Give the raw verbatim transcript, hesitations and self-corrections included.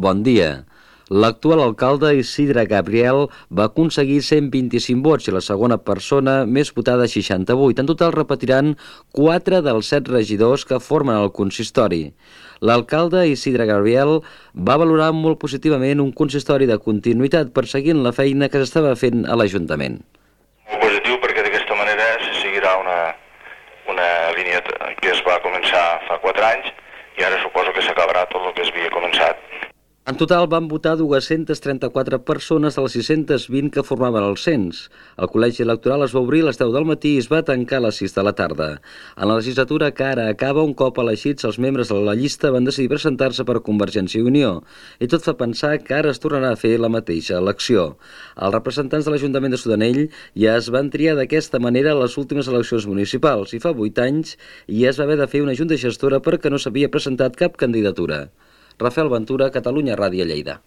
bon dia. L'actual alcalde Isidre Gabriel va aconseguir cent vint-i-cinc vots i la segona persona més votada seixanta-vuit. En total repetiran quatre dels set regidors que formen el consistori. L'alcalde Isidre Gabriel va valorar molt positivament un consistori de continuïtat perseguint la feina que s'estava fent a l'Ajuntament. Molt positiu perquè d'aquesta manera se seguirà una, una línia que es va començar fa quatre anys i ara suposo que s'acabarà tot el que es havia començat. En total van votar dues-centes trenta-quatre persones de les sis-centes vint que formaven el cens. El col·legi electoral es va obrir a les deu del matí i es va tancar a les sis de la tarda. En la legislatura que ara acaba, un cop elegits, els membres de la llista van decidir presentar-se per Convergència i Unió. I tot fa pensar que ara es tornarà a fer la mateixa elecció. Els representants de l'Ajuntament de Sudanell ja es van triar d'aquesta manera a les últimes eleccions municipals i fa vuit anys ja es va haver de fer una junta gestora perquè no s'havia presentat cap candidatura. Rafael Ventura, Catalunya Ràdio, Lleida.